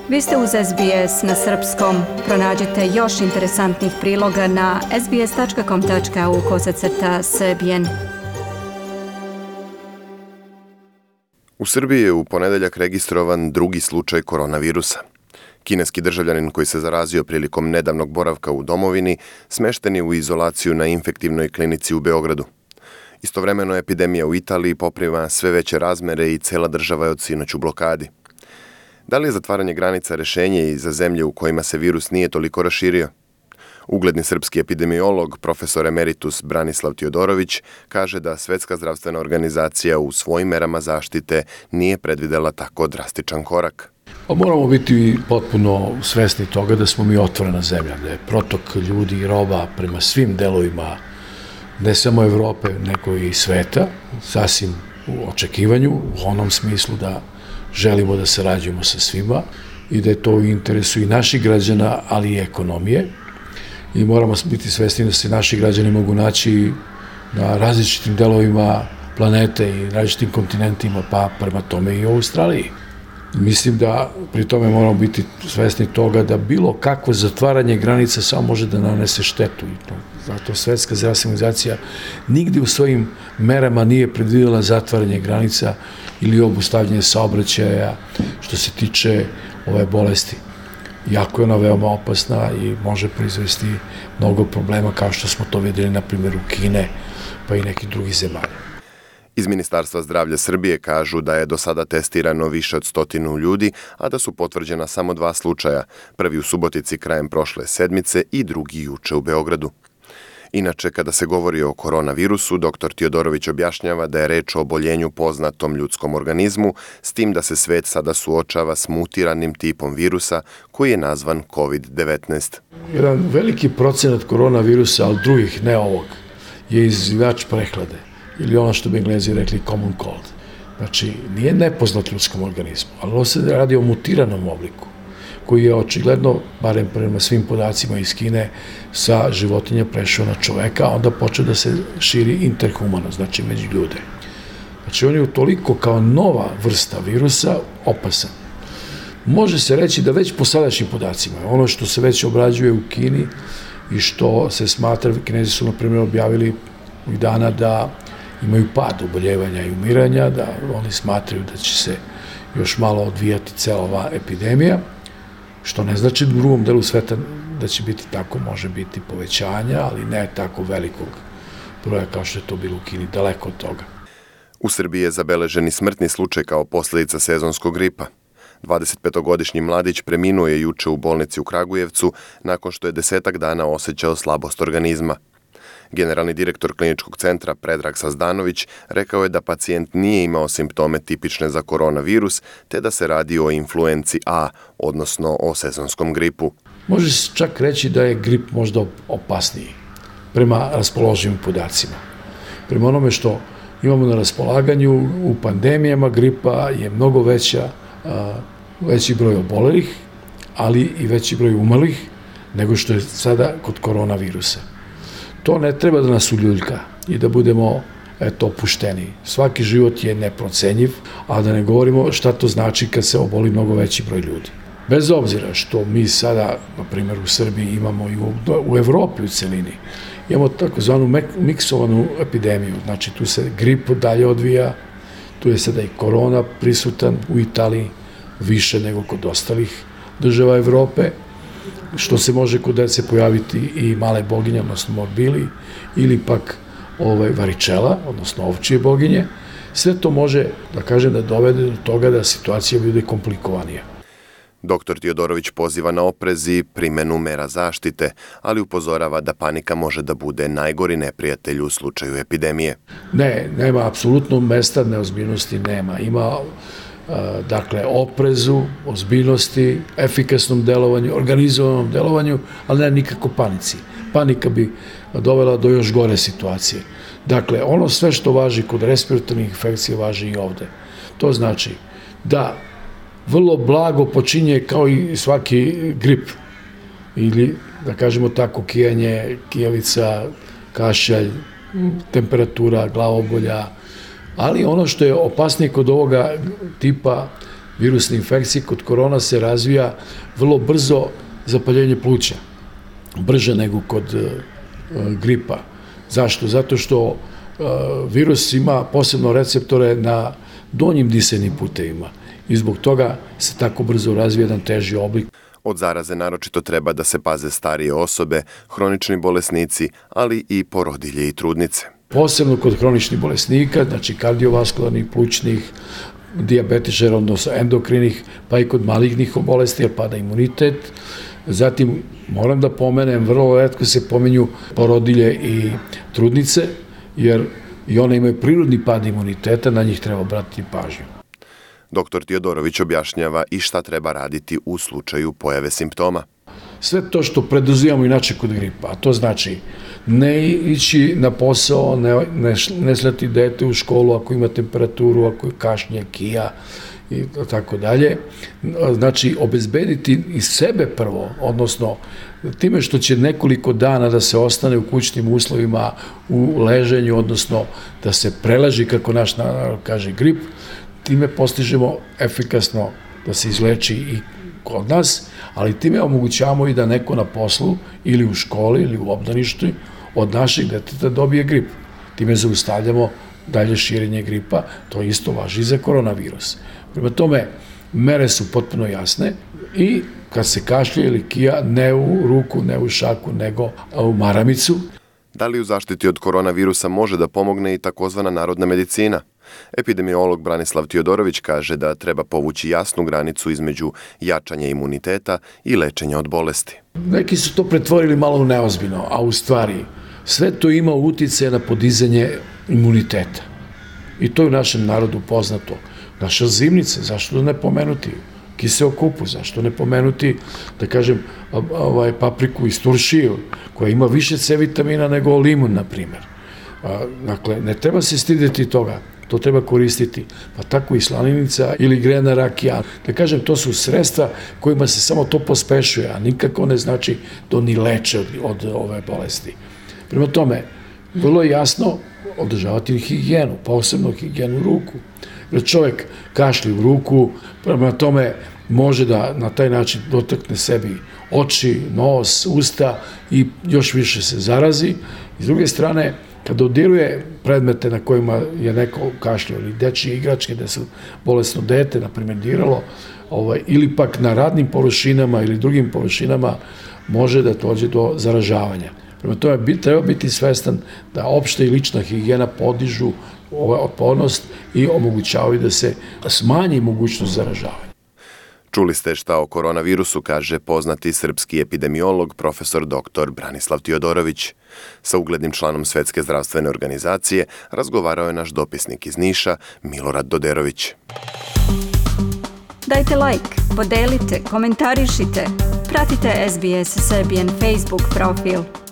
Vi ste uz SBS na srpskom. Pronađite još interesantnih priloga na sbs.com.au/srbijen. U Srbiji je u ponedeljak registrovan drugi slučaj koronavirusa. Kineski državljanin koji se zarazio prilikom nedavnog boravka u domovini smešten je u izolaciju na infektivnoj klinici u Beogradu. Istovremeno epidemija u Italiji poprima sve veće razmere i cela država je od sinoć u blokadi. Da li je zatvaranje granica rešenje i za zemlje u kojima se virus nije toliko raširio? Ugledni srpski epidemiolog, profesor emeritus Branislav Tijodorović, kaže da Svetska zdravstvena organizacija u svojim merama zaštite nije predvidela tako drastičan korak. Moramo biti potpuno svesni toga da smo mi otvorena zemlja, da je protok ljudi i roba prema svim delovima ne samo Evrope, nego i sveta, sasvim u očekivanju, u onom smislu da želimo da sarađujemo sa svima i da je to u interesu i naših građana, ali i ekonomije. I moramo biti svesni da se naši građani mogu naći na različitim delovima planete i različitim kontinentima, pa prema tome i u Australiji. Mislim da pri tome moramo biti svesni toga da bilo kakvo zatvaranje granica samo može da nanese štetu. Zato Svetska zdravstvena organizacija nigde u svojim merama nije predvidela zatvaranje granica ili obustavljanje saobraćaja što se tiče ove bolesti. Jako je ona veoma opasna i može proizvesti mnogo problema kao što smo to videli na primjeru Kine pa i nekih drugih zemalja. Iz Ministarstva zdravlja Srbije kažu da je do sada testirano više od 100 ljudi, a da su potvrđena samo 2 slučaja, prvi u Subotici krajem prošle sedmice i drugi juče u Beogradu. Inače, kada se govori o koronavirusu, dr. Tijodorović objašnjava da je reč o oboljenju poznatom ljudskom organizmu, s tim da se svet sada suočava s mutiranim tipom virusa koji je nazvan COVID-19. Jedan veliki procenat koronavirusa, ali drugih, ne ovog, je izazivač prehlade ili ono što bi Englezi rekli common cold. Znači, nije nepoznat ljudskom organizmu, ali ovo se radi o mutiranom obliku koji je očigledno, barem prema svim podacima iz Kine, sa životinja prešao na čoveka, a onda počeo da se širi interhumano, znači među ljude. Znači, on je toliko kao nova vrsta virusa opasan. Može se reći da već po sadašnjim podacima, ono što se već obrađuje u Kini i što se smatra, Kinezi su, na primjer, objavili ovih dana da imaju pad oboljevanja i umiranja, da oni smatraju da će se još malo odvijati cela ova epidemija, što ne znači u drugom delu sveta da će biti tako, može biti povećanja, ali ne tako velikog broja kao što je to bilo u Kini, daleko od toga. U Srbiji je zabeleženi smrtni slučaj kao posljedica sezonskog gripa. 25-godišnji mladić preminuo je juče u bolnici u Kragujevcu nakon što je 10 dana osjećao slabost organizma. Generalni direktor kliničkog centra Predrag Sazdanović rekao je da pacijent nije imao simptome tipične za koronavirus, te da se radi o influenci A, odnosno o sezonskom gripu. Može se čak reći da je grip možda opasniji prema raspoloživim podacima. Prema onome što imamo na raspolaganju u pandemijama, gripa je mnogo veći broj obolelih, ali i veći broj umrlih nego što je sada kod koronavirusa. To ne treba da nas uljuljka i da budemo opušteni. Svaki život je neprocenjiv, a da ne govorimo šta to znači kad se oboli mnogo veći broj ljudi. Bez obzira što mi sada, na primjer u Srbiji, imamo i u Evropi u celini, imamo takozvanu miksovanu epidemiju, znači tu se grip dalje odvija, tu je sada i korona prisutan u Italiji, više nego kod ostalih država Evrope, što se može kod dece pojaviti i male boginje, odnosno morbili, ili pak varičela, odnosno ovčije boginje. Sve to može, da kažem, da dovede do toga da situacija bude komplikovanija. Dr. Tijodorović poziva na oprez i primjenu mera zaštite, ali upozorava da panika može da bude najgori neprijatelj u slučaju epidemije. Ne, nema apsolutno mesta neozbiljnosti, nema. Ima oprezu, ozbiljnosti, efikasnom delovanju, organizovanom delovanju, ali ne nikako panici. Panika bi dovela do još gore situacije. Dakle, ono sve što važi kod respiratornih infekcija važi i ovde. To znači da vrlo blago počinje kao i svaki grip ili, da kažemo tako, kijanje, kijavica, kašalj, temperatura, glavobolja, ali ono što je opasnije kod ovoga tipa virusne infekcije, kod korona se razvija vrlo brzo zapaljenje pluća, brže nego kod gripa. Zašto? Zato što virus ima posebno receptore na donjim disajnim putevima i zbog toga se tako brzo razvija jedan teži oblik. Od zaraze naročito treba da se paze starije osobe, hronični bolesnici, ali i porodilje i trudnice. Posebno kod hroničnih bolesnika, znači kardiovaskularnih, plućnih, dijabetičara, odnosno endokrinih, pa i kod malignih bolesti, jer pada imunitet. Zatim, moram da pomenem, vrlo retko se pomenju porodilje i trudnice, jer i one imaju prirodni pad imuniteta, na njih treba obratiti pažnju. Dr. Tiodorović objašnjava i šta treba raditi u slučaju pojave simptoma. Sve to što preduzimamo inače kod gripa, a to znači ne ići na posao, ne slati dete u školu ako ima temperaturu, ako je kašnje, kija i tako dalje. Znači, obezbediti i sebe prvo, odnosno time što će nekoliko dana da se ostane u kućnim uslovima, u leženju, odnosno da se preleži, kako naš narod kaže, grip, time postižemo efikasno da se izleči i kod nas, ali time omogućavamo i da neko na poslu ili u školi ili u obdaništu od našeg deteta dobije grip. Time zaustavljamo dalje širenje gripa, to isto važi i za koronavirus. Prema tome, mere su potpuno jasne i kad se kašlje ili kija, ne u ruku, ne u šaku, nego u maramicu. Da li u zaštiti od koronavirusa može da pomogne i takozvana narodna medicina? Epidemiolog Branislav Tiodorović kaže da treba povući jasnu granicu između jačanja imuniteta i lečenja od bolesti. Neki su to pretvorili malo u neozbiljno, a u stvari sve to ima uticaje na podizanje imuniteta. I to je u našem narodu poznato. Naša zimnica, zašto da ne pomenuti? Kiseo kupus, zašto ne pomenuti, da kažem, papriku iz turšiju, koja ima više C vitamina nego limun, na primjer. Dakle, ne treba se stideti toga, to treba koristiti. Pa tako i slaninica ili grena rakija. Da kažem, to su sredstva kojima se samo to pospešuje, a nikako ne znači da oni leče od ove bolesti. Prema tome, vrlo je jasno održavati higijenu, posebno higijenu ruku. Jer čovjek kašlje u ruku, prema tome može da na taj način dotakne sebi oči, nos, usta i još više se zarazi. I s druge strane, kada dodiruje predmete na kojima je neko kašljao ili dečije igračke gde su bolesno dete, na primjer, diralo, ili pak na radnim površinama ili drugim površinama, može da dođe do zaražavanja. Prema tome, treba biti svestan da opšta i lična higijena podižu otpornost i omogućavaju da se smanji mogućnost zaražavanja. Čuli ste šta o koronavirusu kaže poznati srpski epidemiolog profesor dr. Branislav Tiodorović. Sa uglednim članom Svetske zdravstvene organizacije razgovarao je naš dopisnik iz Niša, Milorad Doderović. Dajte like, podelite, komentarišite, pratite SBS Serbian Facebook profil.